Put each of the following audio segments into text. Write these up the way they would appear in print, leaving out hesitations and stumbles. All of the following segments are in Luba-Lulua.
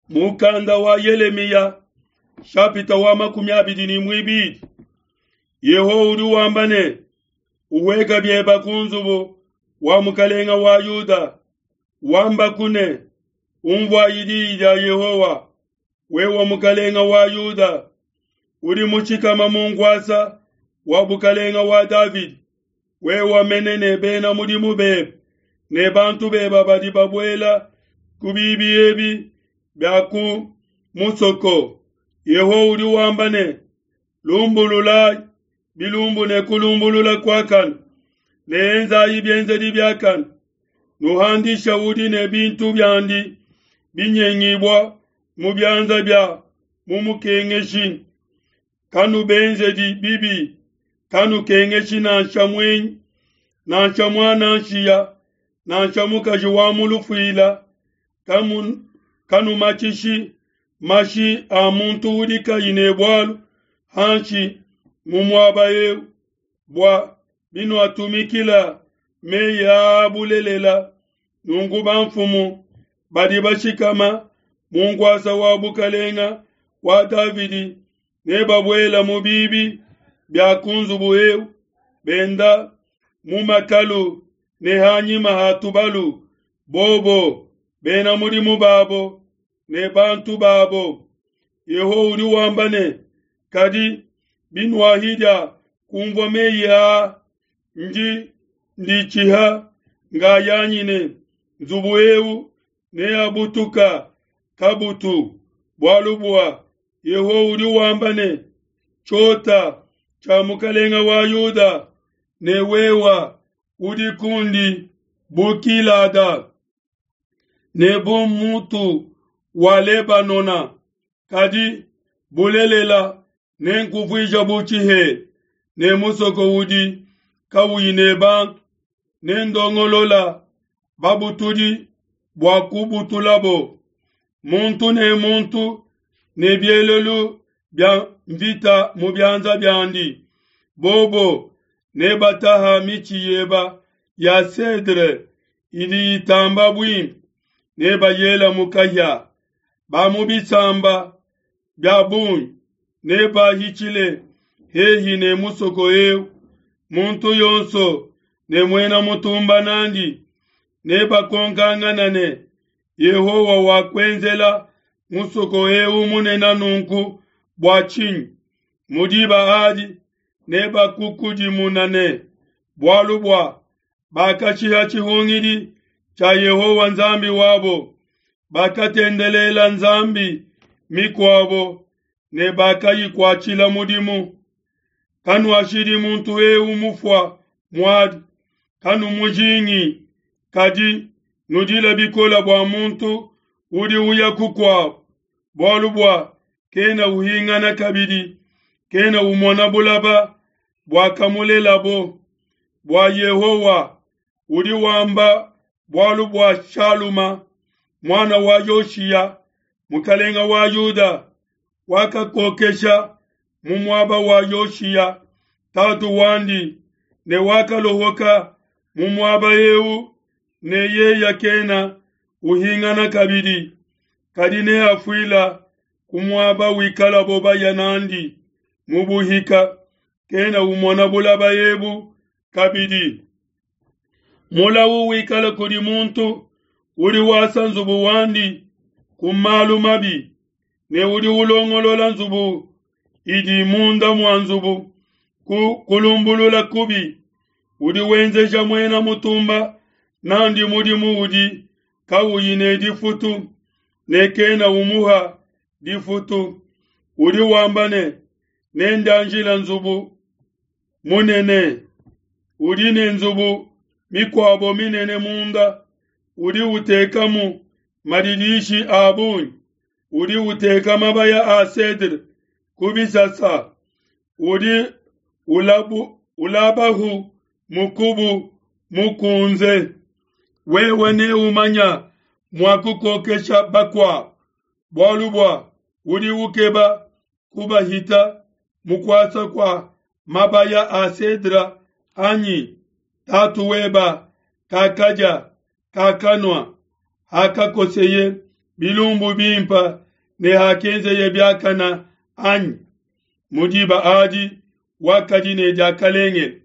Mukanda wa Yelemiya shapita wa 22. Yehowa udi wamba ne, uweka bieba ku nzubu wa mukalenga wa Yuda, wamba kune, umvuayi diyi dia Yehowa, wewe mukalenga wa Yuda, udi mushikama mu nkuasa wa bukalenga wa Davidi, wewe mene ne bena mudimu bebe ne bantu beba badi babuela ku bibi ebi bia ku musoko. Yehowa udi wamba ne, lumbululayi bilumbu ne kulumbulula kuakane, ne enzayi bienzedi biakane, nuhandisha udi ne bintu biandi binyengibua mu bianza bia mumukengeshi. Kanubenzedi bibi, kanukengeshi nansha muenyi, nansha muana nshiya, nansha mukaji wa mu lufuila, kanumatshishi mashi a muntu udi kayi ne bualu hanshi mu muaba eu, bua binuatumikila meyi aa bulelela. Nunku bamfumu badi bashikama mu nkuasa wa bukalenga wa Davidi ne babuela mu bibi bia ku nzubu eu, benda mu makalu ne hanyima ha tubalu, bobo bena mudimu babo ne bantu babo. Yehowa udi wamba ne, kadi binuahidia kumvua meyi aa, ndi nditshiha ngayanyi ne nzubu eu neabutuka kabutu, bualu bua Yehowa udi wamba ne, tshiota tshia mukalenga wa Yuda ne wewa udi kundi bu Gilada ne bu mutu wa Lebanona, kadi bulelela nenkuvuija bu tshihela ne musoko udi kauyi ne bantu, ne ndongolola babutudi bua kubutulabo, muntu ne muntu ne bielelu bia mvita mu bianza biandi. Bobo nebataha mitshi yeba ya cedre idi itamba buimpe, nebayela mu kahia. Ba mu bisamba bia bungi nebahitshile hehi ne musoko eu, muntu yonso ne muena mutumba nandi, nebakonkangana ne, Yehowa wakuenzela musoko eu munene nunku bua tshinyi? Mu diba adi nebakukudimuna ne, bualu bua bakashiha tshihungidi tshia Yehowa Nzambi wabo, bakatendelela nzambi mikuabo ne bakayikuatshila mudimu. Kanuashidi muntu eu mufua muadi, kanumujingi, kadi nudila bikola bua muntu udi uya kukuabo, bualu bua kena uhingana kabidi, kena umona bulaba buakamulelabo. Bua Yehowa udi wamba bualu bua Shaluma muana wa Yoshiya mukalenga wa Yuda, wakakokesha mu muaba wa Yoshiya tatu wandi, ne wakalohoka mu muaba eu, ne yeya kena uhingana kabidi, kadi neafuila ku muaba wikalabo baya nandi mu buhika, kena umona bulaba ebu kabidi. Mulawu wikala kudi muntu udi wasa nzubu wandi ku malu mabi, ne udi ulongolola nzubu idi munda mua nzubu ku kulumbulula kubi, udi wenzeja muena mutumba nandi mudimu udi kauyi ne difutu, ne kena umuha difutu. Udi wamba ne, nendianjila nzubu munene, udi ne nzubu mikuabo minene munda, udi utekamu madidishi a bungi, udi uteka mabaya a cedre ku bisasa, udi ulabahu mukubu mukunze. Wewe neumanya mua kukokesha bakuabo, bualu bua udi ukeba kubahita mukuasa kua mabaya a cedre anyi? Tatu weba kakadia kakanua hakakoseye bilumbu bimpa ne hakenzeye biakana anyi? Mu diba adi wakadi ne diakalengele.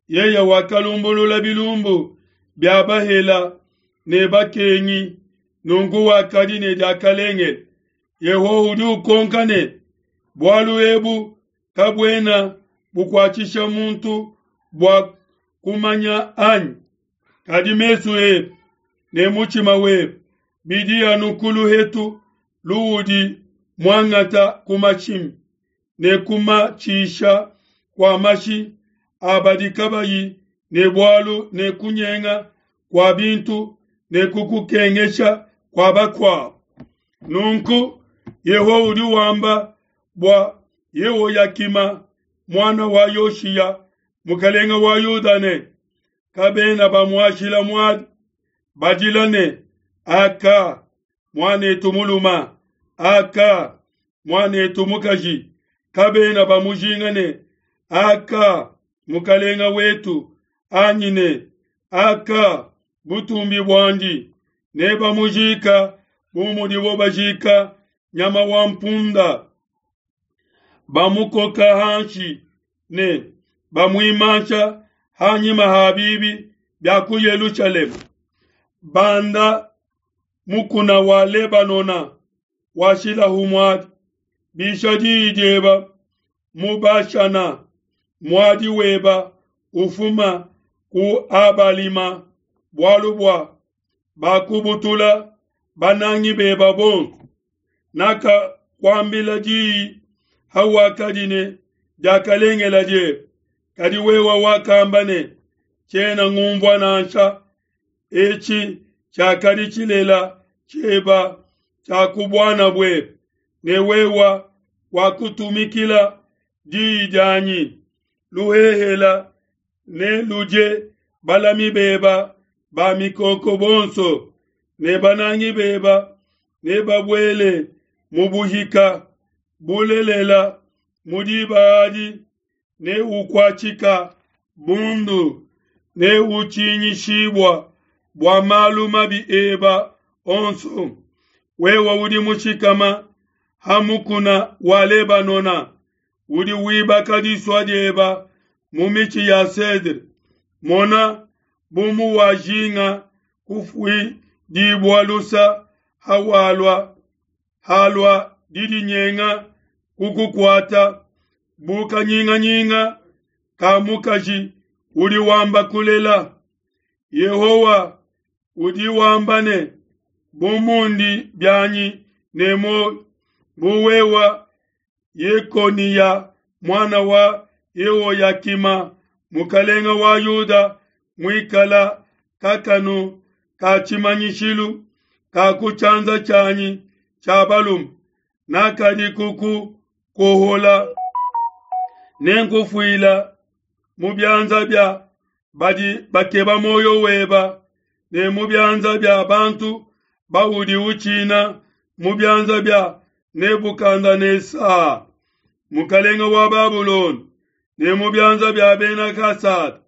Yeye wakalumbulula bilumbu bia bahela ne bakengi, nunku wakadi ne diakalengele. Yehowa udi ukonka ne, bualu ebu kabuena bukuatshisha muntu bua kumanya anyi? Kadi mesu ebe ne mutshima webe bidi anu ku luhetu luudi muangata ku mashimi ne kumatshisha kua mashi a badi kabayi ne bualu ne kunyenga kua bintu ne kukukengesha kua bakuabu. Nunku Yehowa udi wamba bua Yehoyakima muana wa Yoshiya mukalenge wa Yuda ne, kabena bamuashila muadi, badila ne, Aka, muanetu muluma, aka, muanetu mukaji, kabena bamujinga ne, Aka, mukalenga wetu, anyi ne, Aka, butumbi buandi, ne bamujika bu mudibo bajika nyama wa mpunda, bamukoka hanshi ne bamuimansha hanyima ha bibi bia ku Yelushalema. Banda mukuna wa Lebanona washilahu muadi, bisha diyi dieba mu Bashana, muadi weba ufuma ku Abalima, bualu bua bakubutula banangi beba bonso. Nakakuambila diyi hawakadi ne diakalengela diebe, kadi wewe wakamba ne, tshiena ngumvua nansha. Etshi tshiakadi tshilela tshieba tshia ku buana buebe, ne wewe wakutumikila diyi dianyi. Luhehela ne ludie balami beba ba mikoko bonso, ne banangi beba ne babuele mu buhika. Bulelela, mu diba adi ne ukuatshika bundu ne utshinyishibua bua malu mabi eba onso. Wewe udi mushikama ha mukuna wa Lebanona, udi wibaka disua dieba mu mitshi ya cedre. Mona, bu muwajinga kufuidibua lusa hawalua halua didinyenga kukukuata bu kanyinganyinga ka mukaji udi wamba kulela. Yehowa udi wamba ne, bu mundi bianyi ne muoyo, bu wewa Yekoniya muana wa Yehoyakima mukalenga wa Yuda muikala kakanu ka tshimanyishilu ka ku tshianza tshianyi tshia balume, nakadi kuku kuohola nenkufuila mu bianza bia badi bakeba muoyo weba ne mu bianza bia bantu baudi utshina, mu bianza bia Nebukadnesa mukalenga wa Babulona ne mu bianza bia bena Kasada.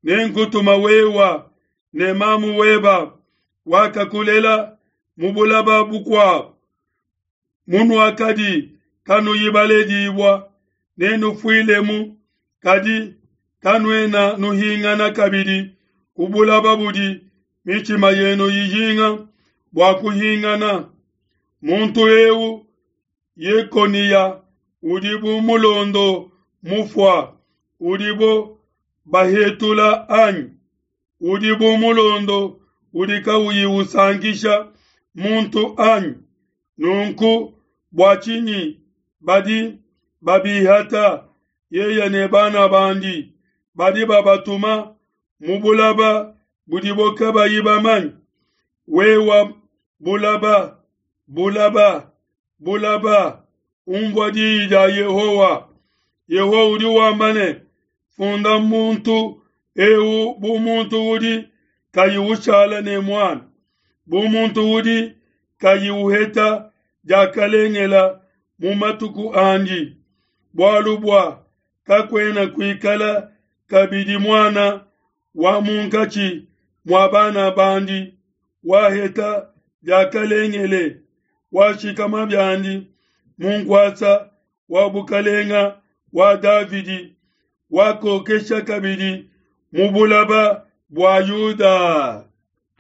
Nenkutuma wewa ne mamu weba wakakulela mu bulaba bukuabu, munuakadi kanuyi baledibua, nenufuilemu, kadi kanuena nuhingana kabidi ku bulaba budi mitshima yenu ijinga bua kuhingana. Muntu eu Yekoniya udi bu mulondo mufua udibo bahetula anyi? Udi bu mulondo udi kauyi usankisha muntu anyi? Nunku bua tshinyi badi babihata yeye ne bana bandi, badi babatuma mu bulaba budibo kabayi bamanye? Wewa bulaba, bulaba, bulaba, umvua diyi dia Yehowa. Yehowa udi wamba ne, funda muntu eu bu muntu udi kayi ushala ne muana, bu muntu udi kayi uheta diakalengela mu matuku andi, bualu bua kakuena kuikala kabidi muana wa munkatshi mua bana bandi waheta diakalengele. washikama biandi mu nkuasa wa bukalenga wa Davidi, wakokesha kabidi mu bulaba bua Yuda.